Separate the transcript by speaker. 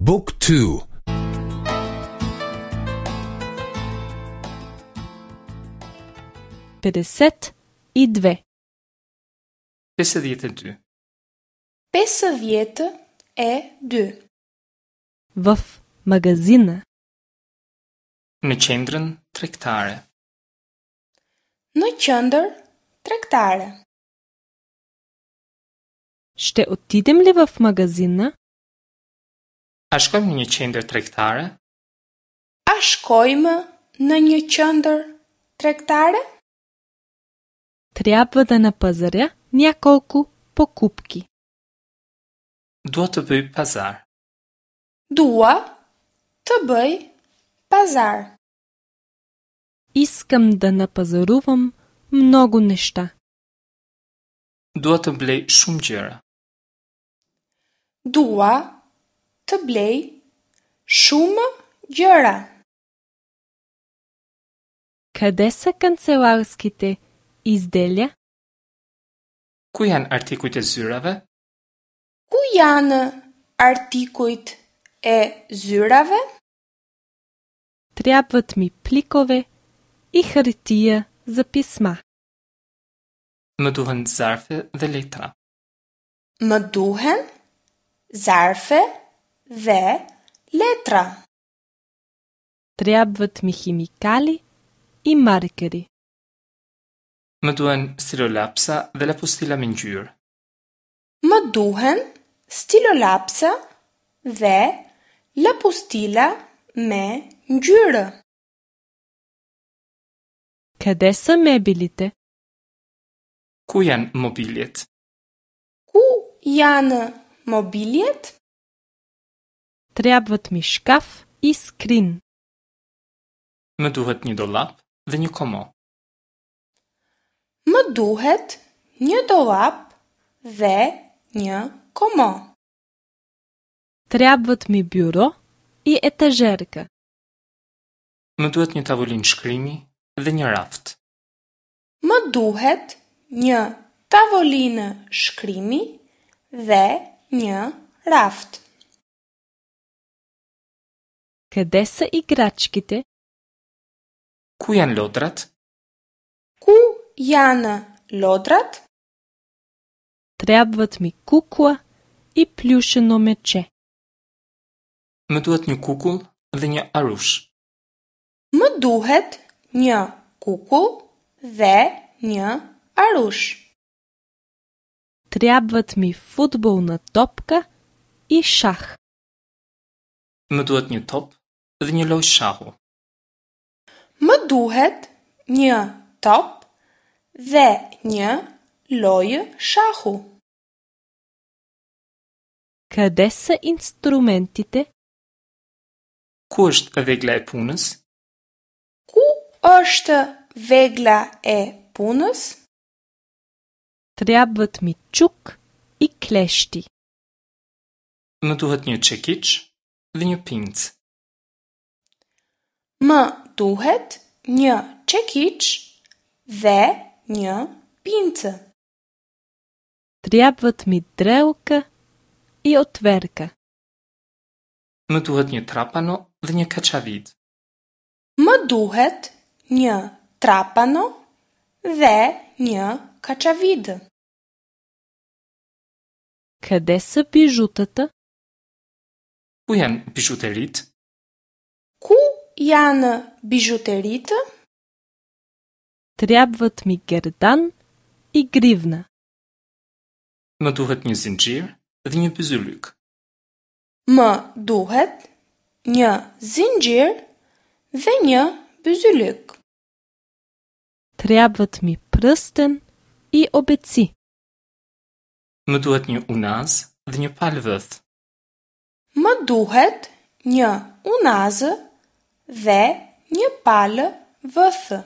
Speaker 1: Book 2
Speaker 2: 52.
Speaker 3: 52.
Speaker 4: 52.
Speaker 2: В магазина.
Speaker 3: Në qendrën tregtare.
Speaker 4: Në qendër tregtare.
Speaker 2: Ще отидем ли в магазина?
Speaker 3: A shkojmë në një qendër tregtare?
Speaker 4: A shkojmë në një qendër tregtare?
Speaker 2: Трябва да напазаря няколко покупки.
Speaker 3: Dua të bëj pazar.
Speaker 4: Dua të bëj pazar.
Speaker 2: Искам да напазарувам много неща.
Speaker 3: Dua të blej shumë gjëra.
Speaker 4: Dua të blej shumë gjëra.
Speaker 2: Къде са канцеларските изделия?
Speaker 3: Ku janë artikujt e zyrave?
Speaker 4: Ku janë artikujt e zyrave?
Speaker 2: Трябват ми пликове и хартия за писма.
Speaker 3: Më duhen zarfe dhe letra.
Speaker 4: Më duhen zarfe dhe letra.
Speaker 2: Трябват ми химикали и маркери.
Speaker 3: Më duhen stilolapsa dhe lapustila me ngjyrë.
Speaker 4: Më duhen stilolapsa dhe lëpustila me ngjyrë.
Speaker 2: Къде са мебелите?
Speaker 3: Ku janë mobiljet?
Speaker 4: Ku janë mobiljet?
Speaker 2: Трябват ми шкаф и скрин.
Speaker 3: Më duhet një dollap dhe një komo.
Speaker 4: Më duhet një dollap dhe një komo.
Speaker 2: Трябват ми бюро и етажерка.
Speaker 3: Më duhet një tavolinë shkrimi dhe një raft.
Speaker 4: Më duhet një tavolinë shkrimi dhe një raft.
Speaker 2: Къде са играчките?
Speaker 3: Ku janë lodrat?
Speaker 4: Ku janë lodrat?
Speaker 2: Трябват ми кукла и плюшено мече.
Speaker 3: Më duhet një kukull dhe një arush.
Speaker 4: Më duhet një kukull dhe një arush.
Speaker 2: Трябват ми футболна топка и шах.
Speaker 3: Më duhet një top dhe një lojë shahu.
Speaker 4: Më duhet një top dhe një lojë shahu.
Speaker 2: Къде са инструментите?
Speaker 3: Ku është vegla e punës?
Speaker 4: Ku është vegla e punës?
Speaker 2: Трябват ми чук и клещи.
Speaker 3: Më duhet një çekiç dhe një pincë.
Speaker 4: Më duhet një çekiç dhe një pincë.
Speaker 2: Трябват ми дрелка и отверка.
Speaker 3: Më duhet një trapano dhe një kaçavid.
Speaker 4: Më duhet një trapano dhe një kaçavidë.
Speaker 2: Къде са бижутата?
Speaker 3: Ku janë bizhuteritë?
Speaker 4: Ku janë bizhuteritë?
Speaker 2: Трябват ми гердан и гривна.
Speaker 3: Më duhet një zinxhir dhe një byzylyk.
Speaker 4: Më duhet një zinxhir dhe një byzylyk.
Speaker 2: Трябват ми пръстен и обеци.
Speaker 3: Më duhet një unaz dhe një palë vëth.
Speaker 4: Më duhet një unazë dhe një palë vëthë.